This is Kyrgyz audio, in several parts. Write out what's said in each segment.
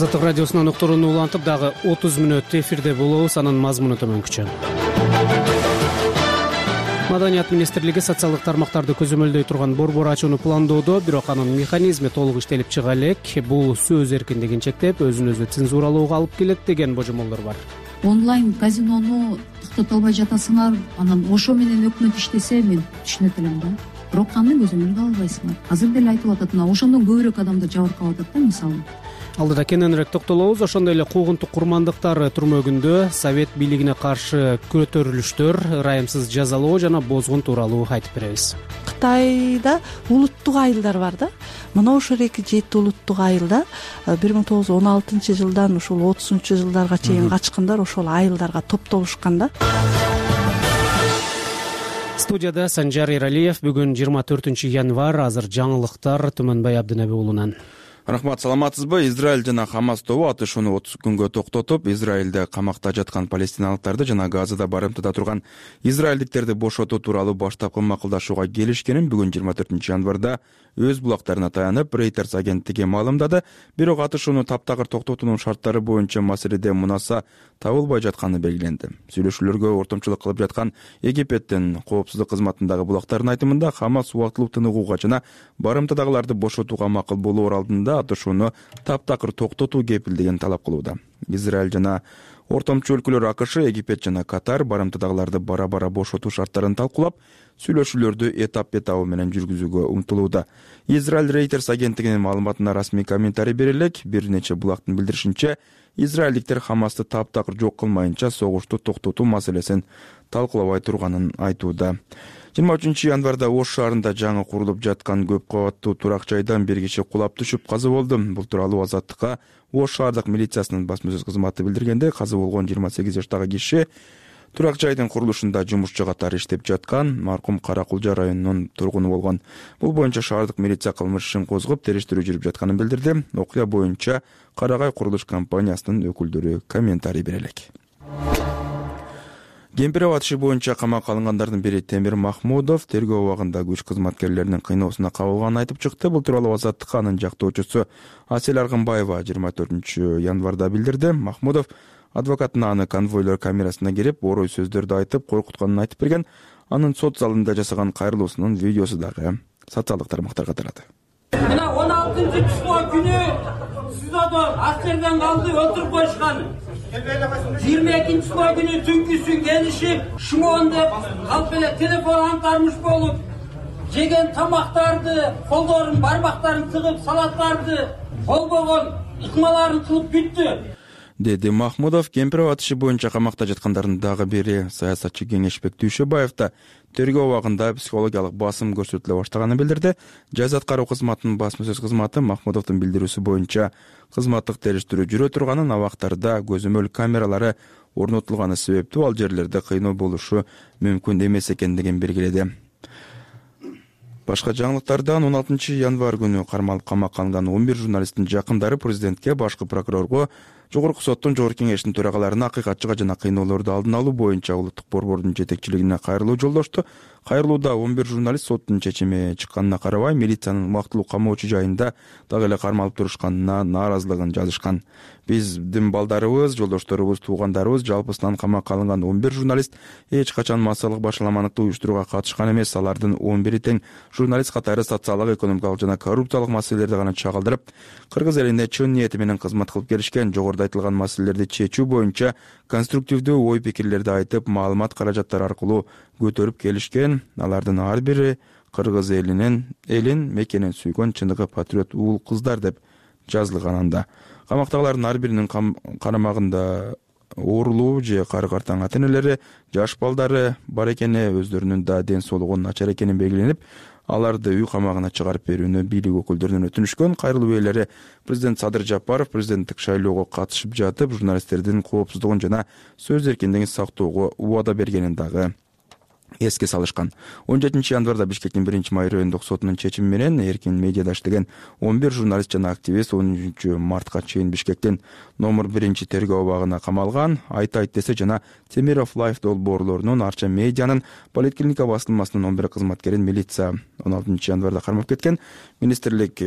Азаттык радиосунан уктурууну улантып дагы 30 мүнөт эфирде болобуз. Анын мазмуну төмөнкүчө. Маданият министрлиги социалдык тармактарды көзөмөлдөй турган борбор ачууну пландоодо, бирок анын механизми толук иштелип чыга элек. Бул сөз эркиндигин чектеп, өзүн өзү цензуралоого алып келет деген божомолдор бар. Онлайн казинону токтото албай жатасыңар, анан ошо менен өкмөт иштесе мен түшүнөт элем да. Бирок аны көзөмөлгө албайсыңар. Азыр деле айтып атат, мына ошондон көбүрөөк адамдар жабыркап атат да, мисалы. Алдыда кененирээк токтолобуз. Ошондой эле куугунтук курмандыктар түрмөгүндө совет бийлигине каршы көтөрүлүштөр, ырайымсыз жазалоо жана бозгун тууралуу айтып беребиз. Кытайда улуттук айылдар бар да. Мына ошол 2-7 улуттук айылда 1916-жылдан ушул 30-жылдарга чейин качкандар ошол айылдарга топтолушкан да. Студияда Санжар Эралиев. Бүгүн 24 январь. Азыр жаңылыктар Түмөнбай Абдынеби уулунан. Рахмат, саламатсызбы? Израиль жана Хамас тобу атышууну 30 күнгө токтотуп, Израилде камакта жаткан палестиналыктарды жана Газада барымтада турган израилдиктерди бошотуу тууралуу баштапкы макулдашууга келишкенин бүгүн 24 январда өз булактарына таянып Reuters агенттиги маалымдады. Бирок атышууну таптакыр токтотуунун шарттары боюнча маселеде мунаса табылбай жатканы белгиленди. Сүйлөшүүлөргө ортомчулук кылып жаткан Египеттин коопсуздук кызматындагы булактардын айтымында, Хамас убактылуу тыныгууга жана барымтадагыларды бошотууга макул болоор алдында атышууну таптакыр токтотуу кепилдигин талап кылууда. Израиль жана ортомчу өлкөлөр АКШ, Египет жана Катар барымтадагыларды бара-бара бошотуу шарттарын талкуулап, сүйлөшүүлөрдү этап-этабы менен жүргүзүүгө умтулууда. Израиль Reuters агенттигинин маалыматына расмий комментарий бере элек. Бир нече булактын билдиришинче, израилдиктер Хамасты таптакыр жок кылмайынча согушту токтотуу маселесин талкуулабай турганын айтууда. 23 январда Ош шаарында жаңы курулуп жаткан көп кабаттуу турак жайдан бир киши кулап түшүп каза болду. Бул тууралуу Азаттыкка Ош шаардык милициясынын басма-сөз кызматы билдиргенде, каза болгон 28 жаштагы киши турак жайдын курулушунда жумушчу катары иштеп жаткан маркум Каракулжа районунун тургуну болгон. Бул боюнча шаардык милиция кылмыш ишин козгоп, териштирүү жүрүп жатканын билдирди. Окуя боюнча Карагай курулуш компаниясынын өкүлдөрү комментарий бере элек. Кемпиров атышы боюнча камакка алынгандардын бири Темир Махмудов тергөө убагында күч кызматкерлеринин кыйноосуна кабылганын айтып чыкты. Бул тууралуу Азаттыкка анын жактоочусу Асель Аргынбаева 24 январда билдирди. Махмудов адвокатына аны конвойлор камерасына кирип, орой сөздөрдү айтып, коркутканын айтып берген. Анын сот залында жасаган кайрылуусунун видеосу дагы социалдык тармактарга тарады. Мына 16-число күнү СИЗОдон аскерден калды, өлтүрүп коюшкан. 22-число күнү түнкүсүн келишип, шмон деп калп эле телефон антармыш болуп, жеген тамактарды, колдорун, бармактарын тыгып, салаттарды колбогон, ыкмаларын кылып бүттү, деди Махмудов. Кемпиров атышы боюнча камакта жаткандардын дагы бири саясатчы Кеңешбек Дүйшөбаев да тергөө убагында психологиялык басым көрсөтүлө баштаганын билдирди. Жаза аткаруу кызматынын басма-сөз кызматы Махмудовдун билдирүүсү боюнча кызматтык териштирүү жүрө турганын, абактарда көзөмөл камералары орнотулганы себептүү ал жерлерде кыйноо болушу мүмкүн эмес экендигин белгиледи. Башка жаңылыктардан 16 январь күнү кармалып камакка алынган 11 журналисттин жакындары президентке, башкы прокурорго, Жогорку соттун жогорку кеңешинин төрагаларына акыйкатчыга жана кыйноолорду алдын алуу боюнча улуттук борбордун жетекчилигине кайрылуу жолдошту. Кайрылууда 11 журналист соттун чечими чыкканына карабай, милициянын убактылуу камоочу жайында дагы эле кармалып турушканына нааразылыгын жазышкан. Биздин балдарыбыз, жолдошторубуз, туугандарыбыз, жалпысынан камакка алынган 11 журналист эч качан массалык башаламаныкты уюштурууга катышкан эмес. Алардын 11-и тең журналист катары социалдык, экономикалык жана коррупциялык маселелерди гана чагылдырып, кыргыз элине чын ниети менен кызмат кылып келишкен. Жогоруда айтылган маселелерди чечүү боюнча конструктивдүү ой-пикирлерди айтып, маалымат каражаттары аркылуу көтөрүп келишкен. Алардын ар бири кыргыз элин мекенин сүйгөн чыныгы патриот уул кыздар деп жазылган анда. Камактагылардын ар биринин карамагында оорулуу же кары-картаң ата-энелери, жаш балдары бар экени, өздөрүнүн да ден соолугунун начар экени белгиленип, аларды үй камагына чыгарып берүүнү бийлик өкүлдөрүнөн өтүнүшкөн. Кайрылуу ээлери президент Садыр Жапаров президенттик шайлоого катышып жатып, журналисттердин коопсуздугун жана сөз эркиндигин сактоого убада бергенин дагы эске салышкан. 17 январда Бишкектин 1-май райондук сотунун чечими менен эркин медиада иштеген 11 журналист жана активист 10 мартка чейин Бишкектин номер 1 тергөө убагына камалган. Айт десе жана Темиров Лайф долбоорлорунун Арча медианын поликлиника басылмасынын 11 кызматкерин милиция 16 январда кармап кеткен. Министрлик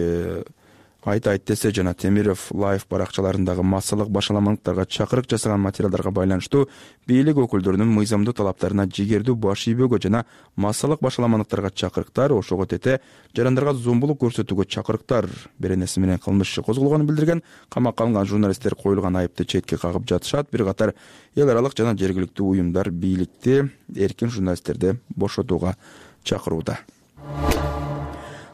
Айтайт десе жана Темиров лайв баракчаларындагы массалык башаламалыктарга чакырык жасаган материалдарга байланыштуу бийлик өкүлдөрүнүн мыйзамдуу талаптарына жигердүү баш ийбөөгө жана массалык башаламалыктарга чакырыктар, ошого тете жарандарга зомбулук көрсөтүүгө чакырыктар беренеси менен кылмыш иши козголгонун билдирген. Камакка алынган журналисттер коюлган айыпты четке кагып жатышат. Бир катар эл аралык жана жергиликтүү уюмдар бийликти эркин журналисттерди бошотууга чакырууда.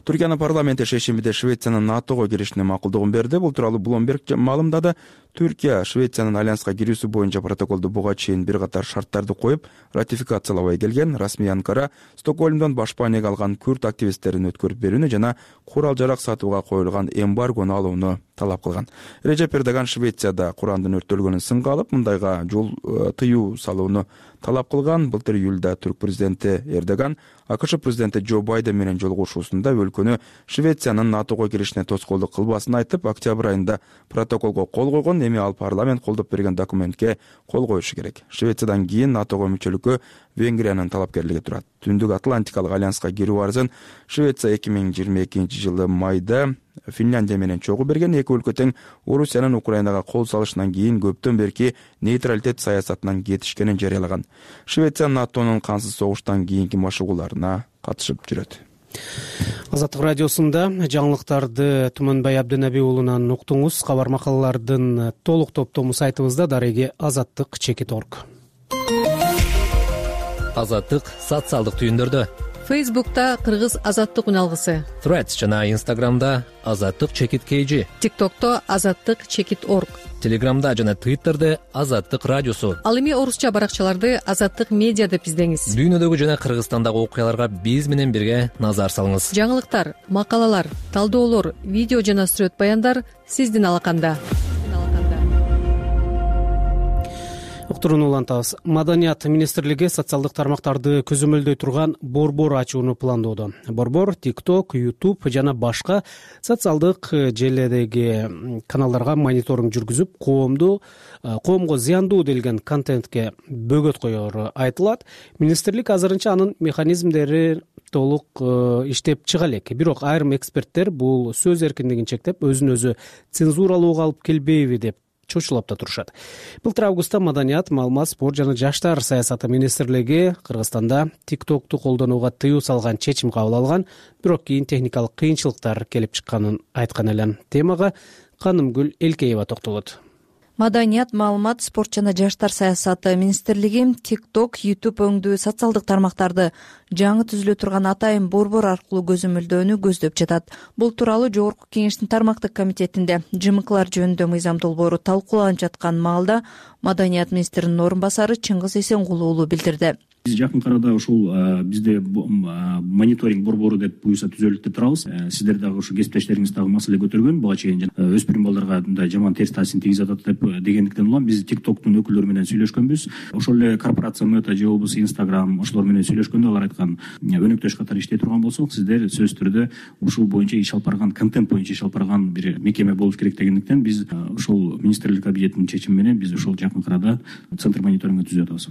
Түркиянын парламенти шейшембиде Швециянын НАТОго киришине макулдугун берди. Бул тууралуу Bloomberg маалымдады. Түркия Швециянын альянска кирүүсү боюнча протоколду буга чейин бир катар шарттарды коюп, ратификациялабай келген. Расмий Анкара Стокгольмдон башпанеге алган күрд активисттерин өткөрүп берүүнү жана курал-жарак сатууга коюлган эмбаргону алууну талап кылган. Режеп Эрдоган Швецияда Курандын өрттөлгөнүн сынга алып, мындайга жол тыюу салууну талап кылган. Былтыр июлда түрк президенти Эрдоган АКШ президенти Джо Байден менен жолугушуусунда өлкөнү Швециянын НАТОго киришине тоскоолдук кылбасын айтып, октябрь айында протоколго кол койгон. Эми ал парламент колдоп берген документке кол коюшу керек. Швециядан кийин НАТОго мүчөлүккө Венгриянын талапкерлиги турат. Түндүк Атлантикалык альянска кирүү арызын Швеция 2022-жылы майда Финляндия менен чогуу берген. Эки өлкө тең Орусиянын Украинага кол салышынан кийин көптөн берки нейтралитет саясатынан кетишкенин жарыялаган. Швеция НАТОнун кансыз согуштан кийинки машыгууларына катышып жүрөт. Азаттык радиосунда жаңылыктарды Туманбай Абдынаби уулунан уктуңуз. Кабар макалалардын толук топтому сайтыбызда дареги azattik.org. Азаттык социалдык түйүндөрдө. Фейсбукта Кыргыз азаттык үналгысы, Threads жана Instagramда azattik_kg, ТикТокто azattik_org, Телеграмда жана Twitterде Азаттык радиосу. Ал эми орусча баракчаларды Азаттык медиа деп издеңиз. Дүйнөдөгү жана Кыргызстандагы окуяларга биз менен бирге назар салыңыз. Жаңылыктар, макалалар, талдоолор, видео жана сүрөт баяндар сиздин алаканда. Уктурууну улантабыз. Маданият министрлиги социалдык тармактарды көзөмөлдөй турган борбор ачууну пландоодо. Борбор TikTok, YouTube жана башка социалдык желедеги каналдарга мониторинг жүргүзүп, коомго зыяндуу делген контентке бөгөт коеру айтылат. Министрлик азырынча анын механизмдери толук иштеп чыга элек. Бирок айрым эксперттер бул сөз эркиндигин чектеп, өзүн өзү цензуралоого алып келбейби деп чочулап да турушат. Былтыр августта Маданият, маалымат, спорт жана жаштар саясаты министрлиги Кыргызстанда TikTok'ту колдонууга тыюу салган чечим кабыл алган, бирок кийин техникалык кыйынчылыктар келип чыкканын айткан эле. Темага Канымгүл Элкеева токтолот. Маданият, маалымат, спорт жана жаштар саясаты министрлиги TikTok, YouTube өңдүү социалдык тармактарды жаңы түзүлө турган атайын борбор аркылуу көзөмөлдөөнү көздөп жатат. Бул тууралуу Жогорку Кеңештин тармактык комитетинде ЖМКлар жөнүндө мыйзам долбоору талкууланып жаткан маалда Маданият министринин орун басары Чыңгыз Эсенгул уулу билдирди. Биз жакын арада ушул бизде мониторинг борбору деп буюрса түзөлүп турабыз. Сиздер дагы ушу кесиптештериңиз дагы маселе көтөргөн, буга чейин өспүрүм балдарга мындай жаман терс таасирин тийгизип атат деп дегендиктен улам биз TikTok'тун өкүлдөрү менен сүйлөшкөнбүз. Ошол эле корпорация Meta же болбосо Instagram ошолор менен сүйлөшкөндө алар айткан өнөктөш катары иштей турган болсок, сиздер сөзсүз түрдө ушул боюнча иш алып барган, контент боюнча иш алып барган бир мекеме болуш керек дегендиктен биз ушул министрлик кабинетинин чечими менен биз ушул жакын арада центр мониторинга түзүп атабыз.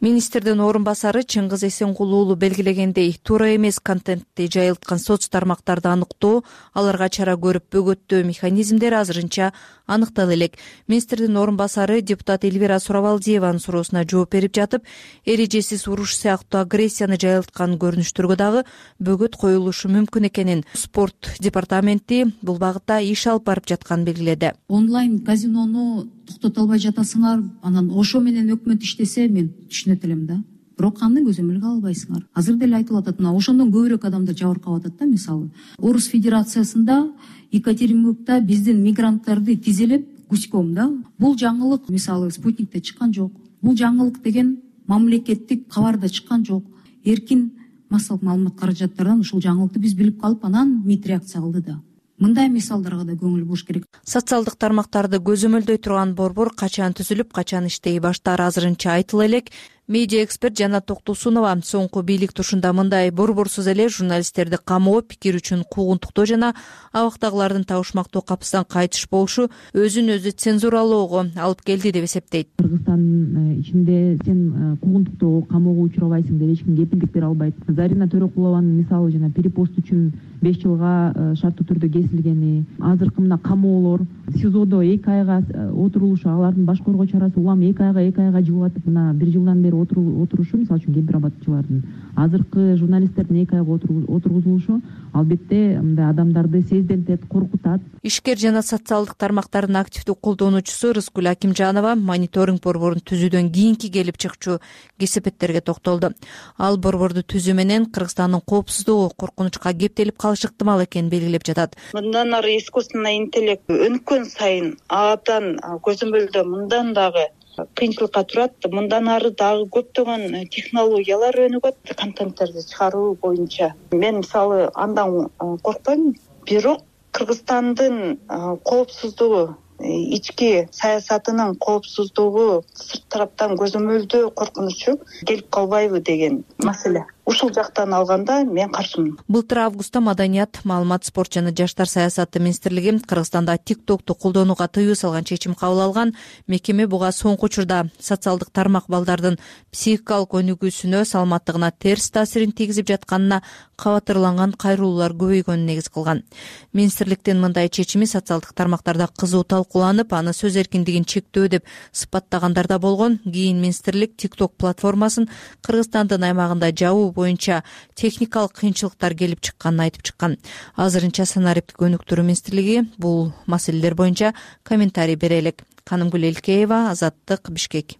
Министрдин орун басары Чыңгыз Эсенгул уулу белгилегендей, туура эмес контентти жайылткан соц тармактарды аныктоо, аларга чара көрүп бөгөттөө механизмдери азырынча аныктала элек. Министрдин орун басары депутат Эльвира Сурабалдиеванын суроосуна жооп берип жатып, эрежесиз уруш сыяктуу агрессияны жайылткан көрүнүштөргө дагы бөгөт коюлушу мүмкүн экенин спорт департаменти бул багытта иш алып барып жатканын белгиледи. Онлайн казинону токтото албай жатасыңар, анан ошо менен өкмөт иштесе мен түшүнөт элем да. Бирок аны көзөмөлгө албайсыңар. Азыр деле айтылып атат, мына ошондон көбүрөөк адамдар жабыркап атат да. Мисалы, Орус Федерациясында Екатеринбургда биздин мигранттарды тизелеп гуськом да. Бул жаңылык мисалы Спутникте чыккан жок. Бул жаңылык деген мамлекеттик кабарда чыккан жок. Эркин массалык маалымат каражаттардан ушул жаңылыкты биз билип калып, анан МИД реакция кылды да. Мындай мисалдарга да көңүл буруш керек. Социалдык тармактарды көзөмөлдөй турган борбор качан түзүлүп, качан иштей баштаары азырынча айтыла элек. Медиа эксперт Жанат Токтосунова соңку бийлик тушунда мындай борборсуз эле журналисттерди камоо, пикир үчүн куугунтуктоо жана абактагылардын табышмактуу капысынан кайтыш болушу өзүн өзү цензуралоого алып келди деп эсептейт. Кыргызстандын ичинде сен куугунтуктоого, камоого учурабайсың деп эч ким кепилдик бере албайт. Зарина Төрөкулованын мисалы жана перепост үчүн 5 жылга шарттуу түрдө кесилгени, азыркы мына камоолор, СИЗОдо 2 айга отурулушу, алардын баш коргоо чарасы улам 2 айга жылатып, мына 1 жылдан бери отурушу, мисалы үчүн кемпир абадчылардын, азыркы журналисттердин 2 айга отургузулушу албетте мындай адамдарды сездентет, коркутат. Ишкер жана социалдык тармактардын активдүү колдонуучусу Рыскүл Акимжанова мониторинг борборун түзүүдөн кийинки келип чыкчу кесепеттерге токтолду. Ал борборду түзүү менен Кыргызстандын коопсуздугу коркунучка кептелип калышы ыктымал экенин белгилеп жатат. Мындан ары искусственный интеллект өнүккөн сайын абдан көзөмөлдө мындан дагы кыйынчылыкка турат. Мындан ары дагы көптөгөн технологиялар өнүгөт контенттерди чыгаруу боюнча. Мен мисалы андан коркпойм, бирок Кыргызстандын коопсуздугу, ички саясатынын коопсуздугу сырт тараптан көзөмөлдөө коркунучу келип калбайбы деген маселе. Ушул жактан алганда мен каршымын. Былтыр августта Маданият, маалымат, спорт жана жаштар саясаты министрлиги Кыргызстанда TikTok'ту колдонууга тыюу салган чечим кабыл алган. Мекеме буга соңку учурда социалдык тармак балдардын психикалык өнүгүүсүнө, саламаттыгына терс таасирин тийгизип жатканына кабатырланган кайрылуулар көбөйгөнүн негиз кылган. Министрликтин мындай чечими социалдык тармактарда кызуу талкууланып, аны сөз эркиндигин чектөө деп сыпаттагандар да болгон. Кийин министрлик TikTok платформасын Кыргызстандын аймагында жабуу боюнча техникалык кыйынчылыктар келип чыкканын айтып чыккан. Азырынча санариптик өнүктүрүү министрлиги бул маселелер боюнча комментарий бере элек. Канымгүл Элкеева, Азаттык, Бишкек.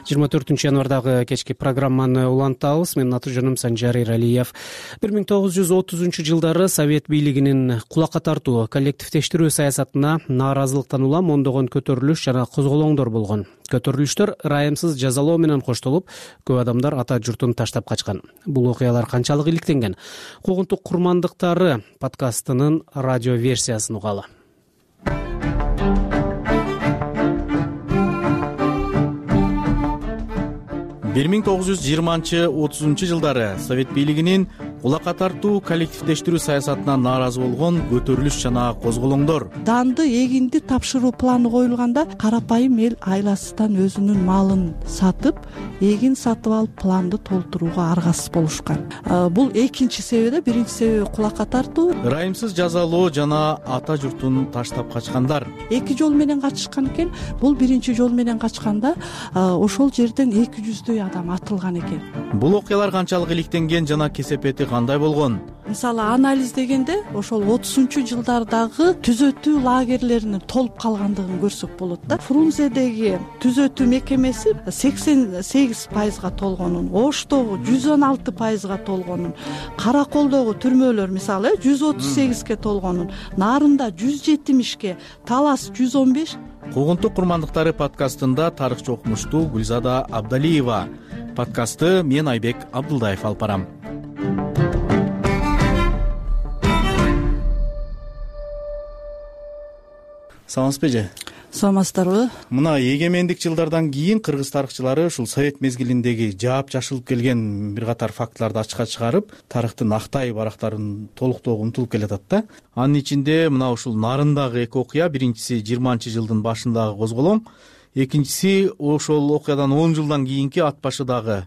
24 январдагы кечки программаны улантабыз. Менин аты жөнүм Санжар Иралиев. 1930 жылдары Совет бийлигинин кулакка тартуу, коллективдештирүү саясатына нааразылыктан улам ондогон көтөрүлүш жана козголоңдор болгон. Көтөрүлүштөр ырайымсыз жазалоо менен коштолуп, көп адамдар ата журтун таштап качкан. Бул окуялар канчалык иликтенген? Куугунтук курмандыктары подкастынын радио версиясын угалы. 1920-30 жылдары Совет бийлигинин кулакка тартуу, коллективдештирүү саясатына нааразы болгон көтөрүлүш жана козголоңдор. Данды, эгинди тапшыруу планы коюлганда карапайым эл айласыздан өзүнүн малын сатып, эгин сатып алып планды толтурууга аргасыз болушкан. Бул экинчи себеби, биринчи себеби кулакка тартуу. Ырайымсыз жазалоо жана ата журтун таштап качкандар. Эки жол менен качышкан экен. Бул биринчи жол менен качканда ошол жерден 200 адам атылган экен. Бул окуялар канчалык иликтенген жана кесепети кандай болгон? Мисалы анализ дегенде ошол 30 жылдардагы түзөтүү лагерлеринин толуп калгандыгын көрсөк болот да. Фрунзедеги түзөтүү мекемеси 88%га толгонун, Оштогу 116%га толгонун, Караколдогу түрмөлөр мисалы 138ге толгонун, Нарында 170ге, Талас 115. Куугунтук курмандыктары подкастында тарыхчы окумуштуу Гүлзада Абдалиева. Подкастты мен Айбек Абдылдаев алып барам. Саламатсызбы эже? Саламатсыздарбы? Мына эгемендик жылдардан кийин кыргыз тарыхчылары ушул совет мезгилиндеги жаап жашылып келген бир катар фактыларды ачыкка чыгарып, тарыхтын актай барактарын толуктоого умтулуп келатат да. Анын ичинде мына ушул Нарындагы эки окуя, биринчиси 20-жылдын башындагы козголоң, экинчиси ошол окуядан 10 жылдан кийинки ат башыдагы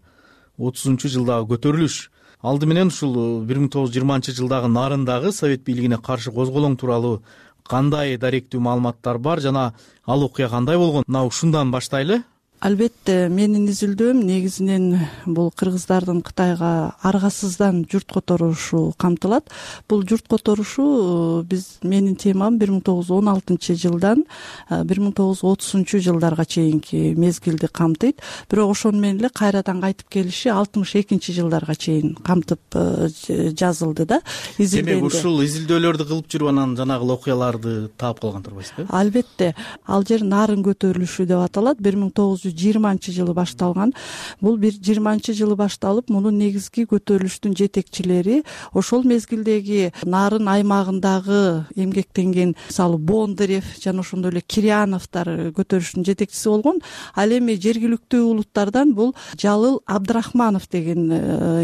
30-жылдагы көтөрүлүш. Алды менен ушул 1920-жылдагы Нарындагы совет бийлигине каршы козголоң тууралуу кандай даректүү маалыматтар бар жана ал окуя кандай болгон? Мына ушундан баштайлы. Албетте, менин изилдөөм негизинен бул кыргыздардын Кытайга аргасыздан журт которушу камтылат. Бул журт которушу менин темам 1916-жылдан 1930-жылдарга чейинки мезгилди камтыйт. Бирок ошону менен эле кайрадан кайтып келиши 62-жылдарга чейин камтып жазылды да. Демек ушул изилдөөлөрдү кылып жүрүп анан жанагы окуяларды таап калган турбайсызбы? Албетте, ал жер Нарын көтөрүлүшү деп аталат. 1920 1920-жылы башталган. Бул 1920-жылы башталып, мунун негизги көтөрүлүштүн жетекчилери ошол мезгилдеги нарын аймагындагы эмгектенген, мисалы, Бондарев жана ошондой эле Кирьяновдор көтөрүлүштүн жетекчиси болгон. Ал эми жергиликтүү улуттардан бул Жалыл Абдрахманов деген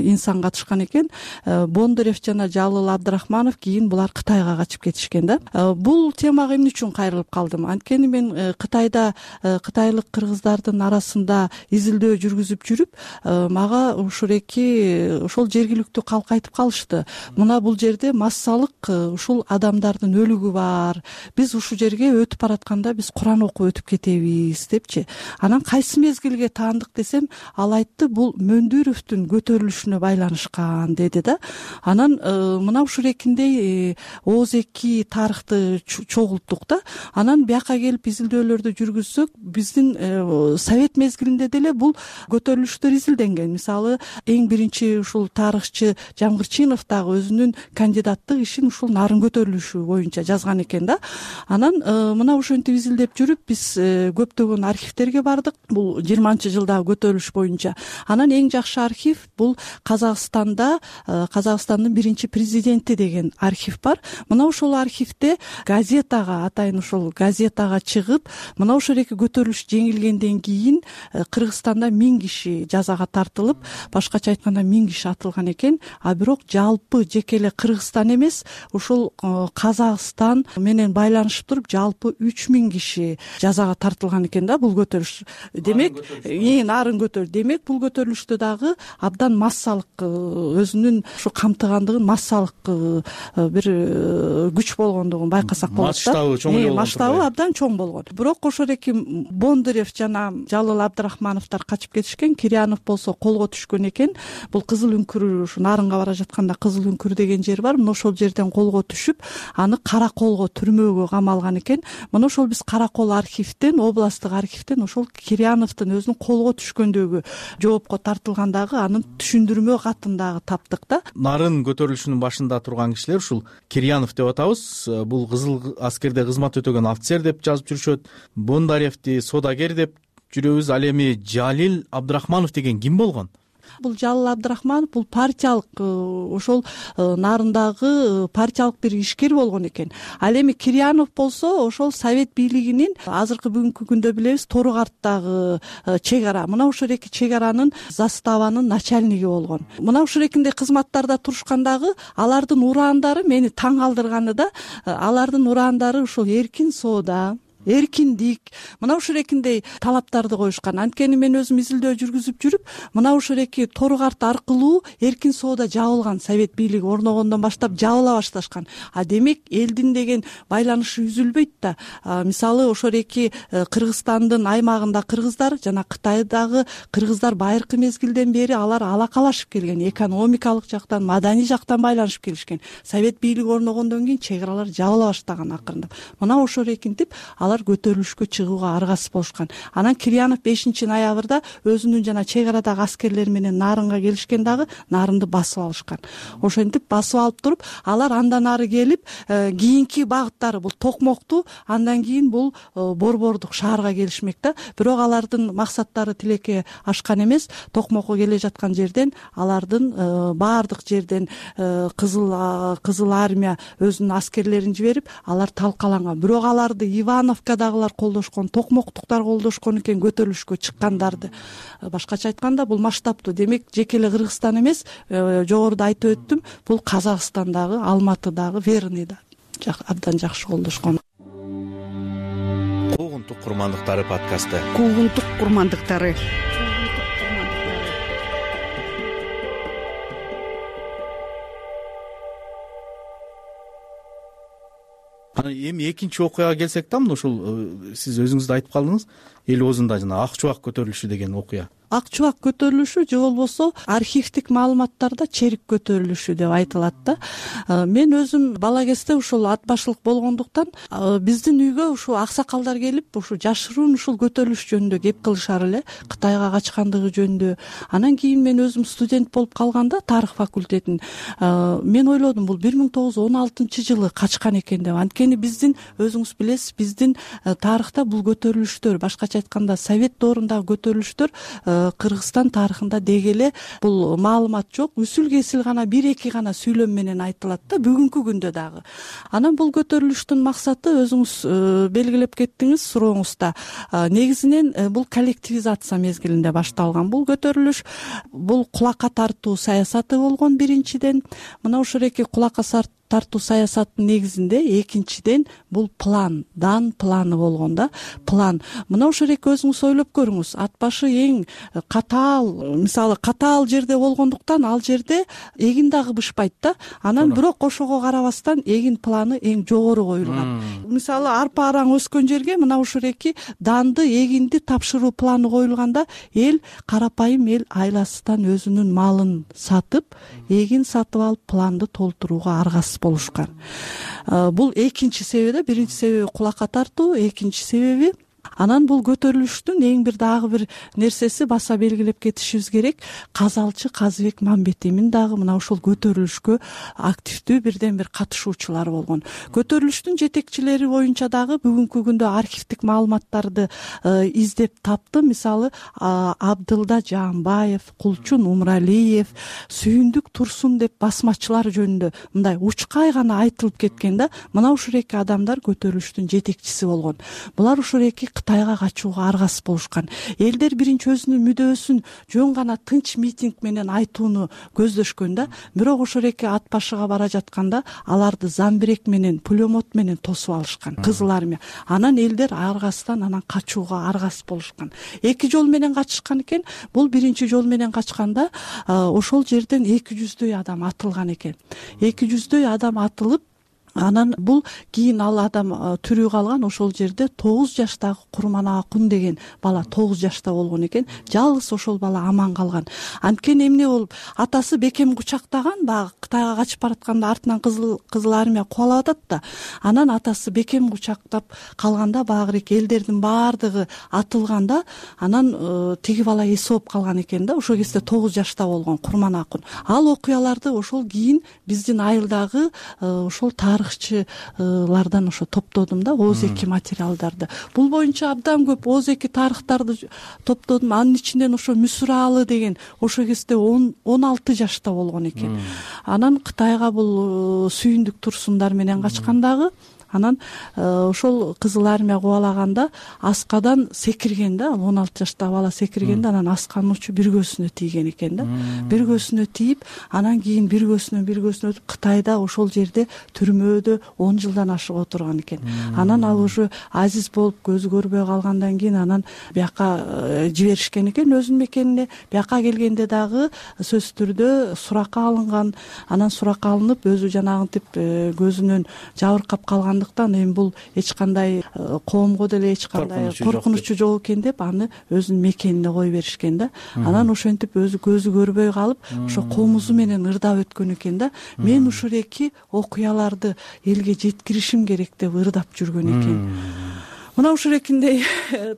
инсан катышкан экен. Бондарев жана Жалыл Абдрахманов кийин булар Кытайга качып кетишкен да. Бул темага эмне үчүн кайрылып калдым? Анткени мен Кытайда кытайлык кыргыздардын арасында изилдөө жүргүзүп жүрүп, мага ошол жергиликтүү калк айтып калышты. Мына бул жерде массалык ушул адамдардын өлүгү бар. Биз ушул жерге өтүп баратканда биз Куран окуп өтүп кетебиз депчи. Анан кайсы мезгилге таандык десем, ал айтты, бул Мөндүровдун көтөрүлүшүнө байланышкан деди да. Анан мына ушул экиндей ооз эки тарыхты чогулттук да. Анан бияка келип изилдөөлөрдү жүргүзсөк, биздин совет мезгилинде деле бул көтөрүлүштөр изилденген. Мисалы, эң биринчи ушул тарыхчы Жамгырчинов дагы өзүнүн кандидаттык ишин ушул нарын көтөрүлүшү боюнча жазган экен да. Анан мына ошентип изилдеп жүрүп, биз көптөгөн архивтерге бардык. Бул 20-жылдагы көтөрүлүш боюнча. Анан эң жакшы архив бул Казакстандын биринчи президенти деген архив бар. Мына ошол архивде газетага, атайын ошол газетага чыгып, мына ошол эки көтөрүлүш жеңилгенден кийин Кыргызстанда 1000 киши жазага тартылып, башкача айтканда 1000 киши атылган экен. А бирок жалпы жеке эле Кыргызстан эмес, ушул Казакстан менен байланышып туруп, жалпы 3000 киши жазага тартылган экен да бул көтөрүлүш. Демек, нарын көтөрүлүш. Демек, бул көтөрүлүштө дагы абдан массалык, өзүнүн ушу камтыгандыгын массалык бир күч болгондугун байкасак болот да. Масштабы абдан чоң болгон. Бирок ошол эки Бондарев жана Жалыл Абдрахмановдор качып кетишкен. Кирьянов болсо колго түшкөн экен. Бул Кызыл үңкүр, ушу нарынга бара жатканда Кызыл үңкүр деген жер бар. Мына ошол жерден колго түшүп, аны Караколго түрмөгө камалган экен. Мына ошол биз Каракол архивден, областтык архивден ошол Кирьяновдун өзүнүн колго түшкөндөгү жоопко тартылгандагы анын түшүндүрмө катын дагы таптык да. Нарын көтөрүлүшүнүн башында турган кишилер ушул Кирьянов деп атабыз. Бул кызыл аскерде кызмат өтөгөн офицер деп жазып жүрүшөт. Бондаревди содагер деп жүрөбүз. Ал эми Жалил Абдрахманов деген ким болгон? Бул Жалыл Абдрахманов бул партиялык, ошол нарындагы партиялык бир ишкер болгон экен. Ал эми Кирьянов болсо ошол совет бийлигинин азыркы бүгүнкү күндө билебиз Торугарттагы чек ара. Мына ошол эки чек аранын заставанын начальниги болгон. Мына ушул экиндей кызматтарда турушкандагы алардын ураандары мени таң калтырганы да, алардын ураандары ушул эркин соода, эркиндик, мына ушул экиндей талаптарды коюшкан. Анткени мен өзүм изилдөө жүргүзүп жүрүп, мына ушул эки Торугарт аркылуу эркин соода жабылган, совет бийлиги орногондон баштап жабыла башташкан. А демек элдин деген байланышы үзүлбөйт да. Мисалы, ошол эки Кыргызстандын аймагында кыргыздар жана Кытайдагы кыргыздар байыркы мезгилден бери алар алакалашып келген, экономикалык жактан, маданий жактан байланышып келишкен. Совет бийлиги орногондон кийин чек аралар жабыла баштаган акырындап. Мына ошорекинтип алар көтөрүлүшкө чыгууга аргасыз болушкан. Анан Кирьянов 5-ноябрда өзүнүн жана чек арадагы аскерлери менен нарынга келишкен, дагы нарынды басып алышкан. Ошентип басып алып туруп, алар андан ары келип, кийинки багыттары бул Токмокту, андан кийин бул Борбордук шаарга келишмек да. Бирок алардын максаттары тилекке ашкан эмес. Токмокко келе жаткан жерден алардын баардык жерден Кызыл армия өзүнүн аскерлерин жиберип, алар талкаланган. Бирок аларды Ивановкадагылар колдошкон, Токмоктуктар колдошкон экен көтөрүлүшкө чыккандарды. Башкача айтканда, бул масштабтуу. Демек, жеке эле Кыргызстан эмес, жогоруда айтып өттүм, бул Казакстандагы, Алматыдагы, Верныйда абдан жакшы колдошкон. Куугунтук курмандыктары подкасты. Куугунтук курмандыктары. Эми экинчи окуяга келсек да, ушул сиз өзүңүз да айтып калдыңыз, эл оозунда жана ак чубак көтөрүлүшү деген окуя. ак чубак көтөрүлүшү же болбосо архивдик маалыматтарда черик көтөрүлүшү деп айтылат да. Мен өзүм бала кезде ушул ат башылык болгондуктан биздин үйгө ушу аксакалдар келип ушу жашыруун ушул көтөрүлүш жөнүндө кеп кылышар эле, Кытайга качкандыгы жөнүндө. Анан кийин мен өзүм студент болуп калганда тарых факультетин мен ойлодум, бул 1916-жылы качкан экен деп. Анткени биздин өзүңүз билесиз, биздин тарыхта бул көтөрүлүштөр, башкача айтканда совет доорундагы көтөрүлүштөр Кыргызстан тарыхында деги эле бул маалымат жок, үсүл кесил гана 1-2 гана сүйлөм менен айтылат да, бүгүнкү күндө дагы. Анан бул көтөрүлүштүн максаты өзүңүз белгилеп кеттиңиз сурооңузда. Негизинен бул коллективизация мезгилинде башталган бул көтөрүлүш. Бул кулакка тартуу саясаты болгон биринчиден. Мына ошол эки кулакка тартуу саясаттын негизинде экинчиден бул план, дан планы болгон да. План. Мына ошол эки өзүңүз ойлоп көрүңүз. Ат башы эң катаал, мисалы катаал жерде болгондуктан ал жерде эгин дагы бышпайт да. Анан бирок ошого карабастан эгин планы эң жогору коюлган. Мисалы арпа араң өскөн жерге мына ошол эки данды, эгинди тапшыруу планы коюлганда карапайым эл айласынан өзүнүн малын сатып, эгин сатып алып планды толтурууга аргасыз болушкан. Бул экинчи себеби да, биринчи себеби кулакка тартуу, экинчи себеби анан бул көтөрүлүштүн эң бир дагы бир нерсеси баса белгилеп кетишибиз керек. Казалчы Казыбек Мамбетимин дагы мына ушул көтөрүлүшкө активдүү бирден бир катышуучулар болгон. Көтөрүлүштүн жетекчилери боюнча дагы бүгүнкү күндө архивдик маалыматтарды издеп тапты. Мисалы Абдылда Жаанбаев, Кулчун Умралиев, Сүйүндүк Турсун деп басмачылар жөнүндө мындай учкай гана айтылып кеткен да. Мына ушул эки адамдар көтөрүлүштүн жетекчиси болгон. Булар ушул эки Кытайга качууга аргасыз болушкан. Элдер биринчи өзүнүн мүдөөсүн жөн гана тынч митинг менен айтууну көздөшкөн да. Бирок ошол эки ат башыга бара жатканда аларды замбирек менен, пулемет менен тосуп алышкан, Кызыл армия. Анан элдер аргасыздан анан качууга аргасыз болушкан. Эки жол менен качышкан экен. Бул биринчи жол менен качканда ошол жерден 200дөй адам атылган экен. 200дөй адам атылып, анан бул кийин ал адам тирүү калган. Ошол жерде 9 жаштагы Курманакун деген бала 9 жашта болгон экен. Жалгыз ошол бала аман калган. Анткени эмне болуп, атасы бекем кучактаган, баягы Кытайга качып баратканда артынан Кызыл армия кубалап атат да. Анан атасы бекем кучактап калганда багы элдердин баардыгы атылганда, анан тиги бала эс болуп калган экен да. Ошол кезде 9 жашта болгон Курманакун. Ал окуяларды ошол кийин биздин айылдагы ошол тарыхчылардан ошо топтодум да, ооз-эки материалдарды. Бул боюнча абдан көп ооз-эки тарыхтарды топтодум. Анын ичинен ошо Мүсүралы деген ошол кезде 16 жашта болгон экен. Анан Кытайга бул Сүйүндүк Турсундар менен качкандагы. Анан ошол Кызыл армия кубалаганда аскадан секирген да, 16 жаштагы бала секиргенде, анан асканын учу бир көзүнө тийген экен да. Бир көзүнө тийип, анан кийин бир көзүнөн өтүп Кытайда ошол жерде түрмөдө 10 жылдан ашык отурган экен. Анан ал уже азиз болуп көзү көрбөй калгандан кийин анан бияка жиберишкен экен өзүнүн мекенине. Бияка келгенде дагы сөзсүз түрдө суракка алынган. Анан суракка алынып өзү жанагынтип көзүнөн жабыркап калган. Эми бул эч кандай коомго деле эч кандай коркунучу жок экен деп аны өзүнүн мекенине кое беришкен да. Анан ошентип өзү көзү көрбөй калып, ошо комузу менен ырдап өткөн экен да. Мен ушул эки окуяларды элге жеткиришим керек деп ырдап жүргөн экен. Мына ушул экиндей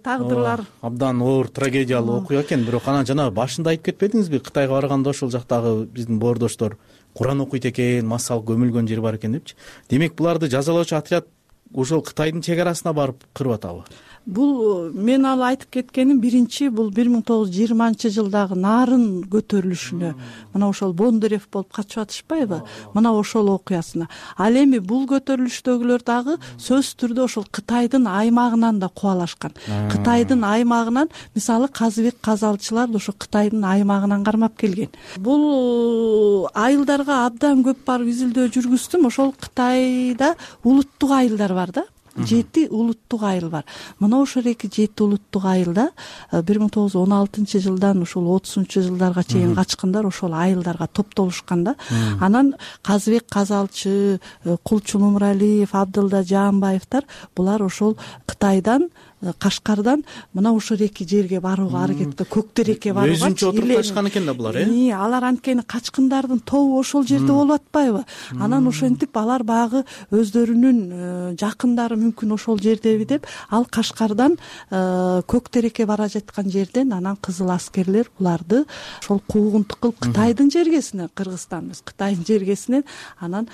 тагдырлар. Абдан оор трагедиялуу окуя экен. Бирок анан жана башында айтып кетпедиңизби, Кытайга барганда ошол жактагы биздин боордоштор Куран окуйт экен, массал көмүлгөн жери бар экен депчи. Демек буларды жазалоочу отряд ошол Кытайдын чек арасына барып кырып атабы? Бул мен ал айтып кеткеним биринчи бул 1920-жылдагы Нарын көтөрүлүшүнө мына ошол Бондарев болуп качып атышпайбы? Мына ошол окуясына. Ал эми бул көтөрүлүштөгүлөр дагы сөзсүз түрдө ошол Кытайдын аймагынан да кубалашкан. Кытайдын аймагынан, мисалы Казыбек казалчылар ошо Кытайдын аймагынан кармап келген. Бул айылдарга абдан көп барып изилдөө жүргүздүм. Ошол Кытайда улуттук айылдар бар да. 7 улуттук айыл бар. Мына ошол эки 7 улуттук айылда 1916-жылдан ушул 30-жылдарга чейин качкындар ошол айылдарга топтолушкан да. Анан Казыбек казалчы, Кулчун Умралиев, Абдылда Жаанбаевтар булар ошол Кытайдан Кашкардан мына ушул эки жерге барууга аракет көк терекке барууга өзүнчө отуруп качкан экен да булар. Алар анткени качкындардын тобу ошол жерде болуп атпайбы? Анан ошентип алар баягы өздөрүнүн жакындары мүмкүн ошол жердеби деп ал Кашкардан көк терекке бара жаткан жерден анан кызыл аскерлер буларды ошол куугунтук кылып Кытайдын жергесине, Кыргызстан эмес, Кытайдын жергесинен анан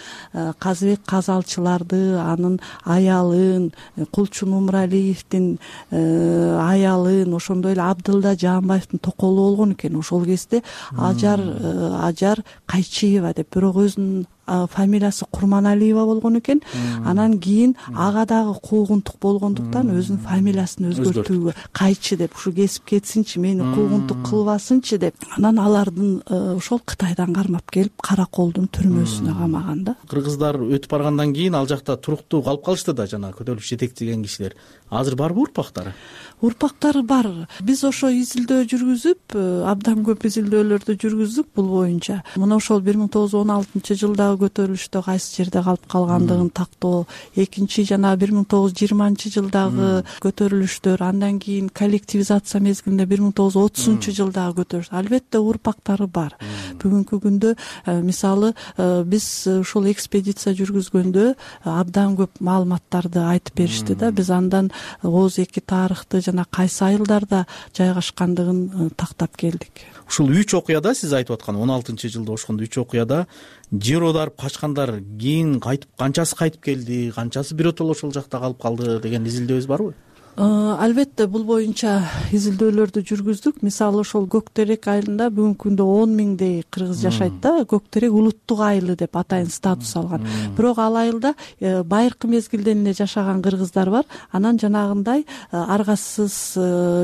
Казыбек Казалчыларды, анын аялын, Кулчун Умуралиевдин аялын, ошондой эле Абдылда Жаанбаевдин токолу болгон экен. Ошол кезде Ажар Кайчиева деп, бирок өзүнүн фамилиясы Курманалиева болгон экен. Анан кийин ага дагы куугунтук болгондуктан өзүнүн фамилиясын өзгөртүүгө Кайчы деп, ушу кесип кетсинчи, мени куугунтук кылбасынчы деп, анан алардын ошол Кытайдан кармап келип Караколдун түрмөсүнө камаган да. Кыргыздар өтүп баргандан кийин ал жакта туруктуу калып калышты да, жана көтөрүлүш жетектеген кишилер. Азыр барбы урпактары? Урпактары бар. Биз ошо изилдөө жүргүзүп, абдан көп изилдөөлөрдү жүргүздүк бул боюнча. Мына ошол 1916-жылдагы көтөрүлүштө кайсы жерде калып калгандыгын тактоо, экинчи жана 1920-жылдагы көтөрүлүштөр, андан кийин коллективизация мезгилинде 1930-жылдагы көтөрүлүш. Албетте урпактары бар. Бүгүнкү күндө мисалы биз ушул экспедиция жүргүзгөндө абдан көп маалыматтарды айтып беришти да. Биз андан Оз эки тарыхты жана кайсы айылдарда жайгашкандыгын тактап келдик. Ушул 3 окуяда сиз айтып аткан 16-жылда ошондо 3 окуяда жер оодарып качкандар кийин кайтып, канчасы кайтып келди, канчасы биротоло ошол жакта калып калды деген изилдөөбүз барбы? Албетте бул боюнча изилдөөлөрдү жүргүздүк. Мисалы ошол Көк терек айылында бүгүнкү күндө 10 миңдей кыргыз жашайт да. Көк терек улуттук айылы деп атайын статус алган. Бирок ал айылда байыркы мезгилден эле жашаган кыргыздар бар. Анан жанагындай аргасыз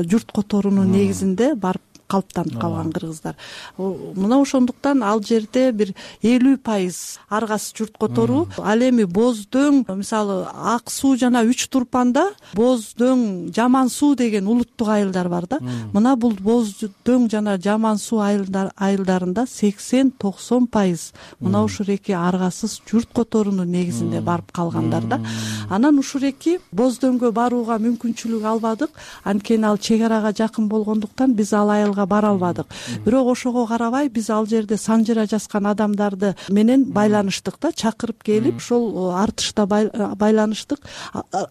журт которуунун негизинде барып калыптанып калган кыргыздар. Мына ошондуктан ал жерде бир 50% аргасыз журт которуу. Ал эми Боздөөң, мисалы Ак суу жана Үч Турпанда Боздөөң, Жаман суу деген улуттук айылдар бар да. Мына бул Боздөөң жана Жаман суу айылдарында 80-90% мына ушул эки аргасыз журт которуунун негизинде барып калгандар да. Анан ушул эки Боздөөңгө барууга мүмкүнчүлүк албадык. Анткени ал чек арага жакын болгондуктан биз ал айылга бара албадык. Бирок ошого карабай биз ал жерде санжыра жазган адамдарды менен байланыштык да, чакырып келип ошол артышта байланыштык.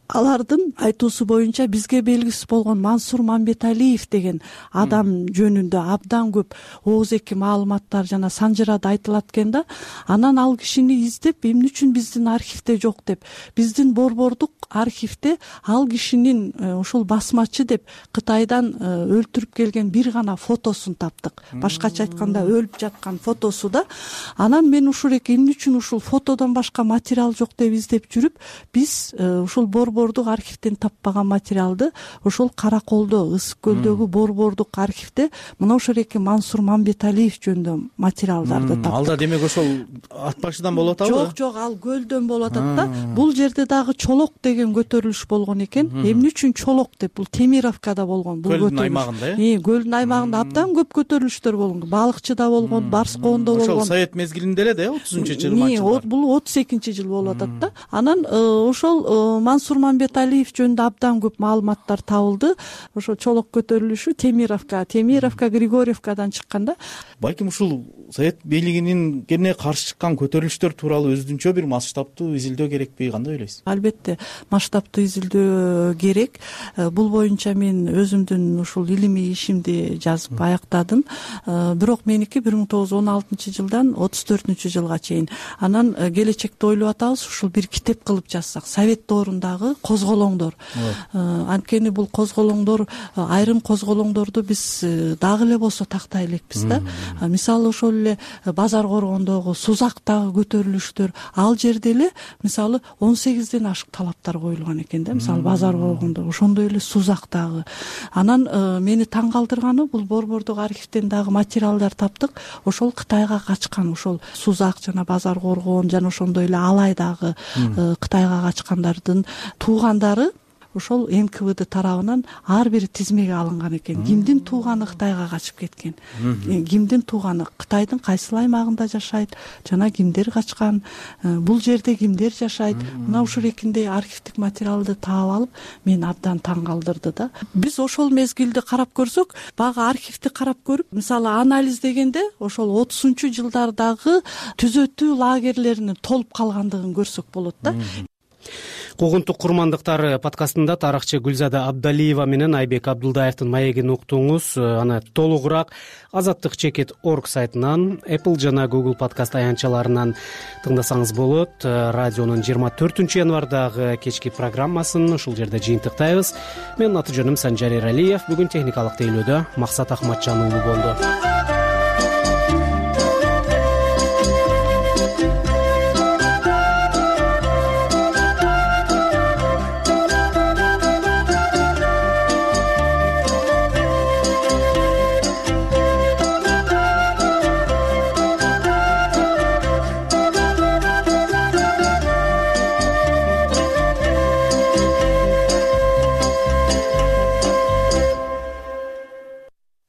Алардын айтуусу боюнча бизге белгисиз болгон Мансур Мамбеталиев деген адам жөнүндө абдан көп ооз-эки маалыматтар жана санжырада айтылат экен да. Анан ал кишини издеп, эмне үчүн биздин архивде жок деп, биздин борбордук архивде ал кишинин ошол басмачы деп Кытайдан өлтүрүп келген бир гана фотосун таптык. Башкача айтканда өлүп жаткан фотосу да. Анан мен ушул эмне үчүн ушул фотодон башка материал жок деп издеп жүрүп, биз ушул борбордук архивден таппаган материалды ошол Караколдо, Ысык көлдөгү борбордук архивде мына ошол эки Мансур Мамбеталиев жөнүндө материалдарды таптык. Алда демек ошол ат башыдан болуп атабы? Жок, ал көлдөн болуп атат да. Бул жерде дагы Чолок деген көтөрүлүш болгон экен. Эмне үчүн Чолок деп? Бул Темировкада болгон бул көтөрүлүш. Көлдүн аймагында, Көлдүн аймагында абдан көп көтөрүлүштөр болгон. Балыкчыда болгон, Барскоондо болгон. Ошол Совет мезгилинде эле да, 30-20-жылдар. Бул 32-жыл болуп атат да. Анан ошол Мансур Мамбеталиев жөнүндө абдан көп маалыматтар табылды. Ошо Чолок көтөрүлүшү Темировка, Григорьевкадан чыккан да. Балким ушул Совет бийлигинин кене каршы чыккан көтөрүлүштөр тууралуу өзүнчө бир масштабтуу изилдөө керекпи, кандай ойлойсуз? Албетте масштабтуу изилдөө керек. Бул боюнча мен өзүмдүн ушул илимий ишимди жазып аяктадым. Бирок меники 1916-жылдан 34-жылга чейин. Анан келечекте ойлоп атабыз, ушул бир китеп кылып жазсак, Совет доорундагы козголоңдор. Анткени бул козголоңдор, айрым козголоңдорду биз дагы эле болсо тактай элекпиз да. Мисалы ошол эле Базар Коргондогу, Сузактагы көтөрүлүштөр, ал жерде эле мисалы 18ден ашык талаптар коюлган экен да. Мисалы Базар Коргондо, ошондой эле Сузактагы. Анан мени таң калтырганы, бул борбордук архивден дагы материалдар таптык. Ошол Кытайга качкан, ошол Сузак жана Базар Коргон жана ошондой эле Алайдагы Кытайга качкандардын туугандары ошол НКВД тарабынан ар бир тизмеге алынган экен. Кимдин тууганы Кытайга качып кеткен, кимдин тууганы Кытайдын кайсыл аймагында жашайт, жана кимдер качкан, бул жерде кимдер жашайт. Мына ушул эркиндей архивдик материалды таап алып, мени абдан таң калтырды да. Биз ошол мезгилди карап көрсөк, баягы архивди карап көрүп, мисалы анализдегенде ошол 30-жылдардагы түзөтүү лагерлеринин толуп калгандыгын көрсөк болот да. Куугунтук курмандыктар подкастында тарыхчы Гүлзада Абдалиева менен Айбек Абдулдаевдин маегин уктуңуз. Аны толугураак azatdыкчекит.org сайтынан, Apple жана Google подкаст аянтчаларынан тыңдасаңыз болот. Радионун 24 январдагы кечки программасын ушул жерде жыйынтыктайбыз. Менин аты жөнүм Санжар Эралиев. Бүгүн техникалык тейлөөдө Максат Ахматжан уулу болду.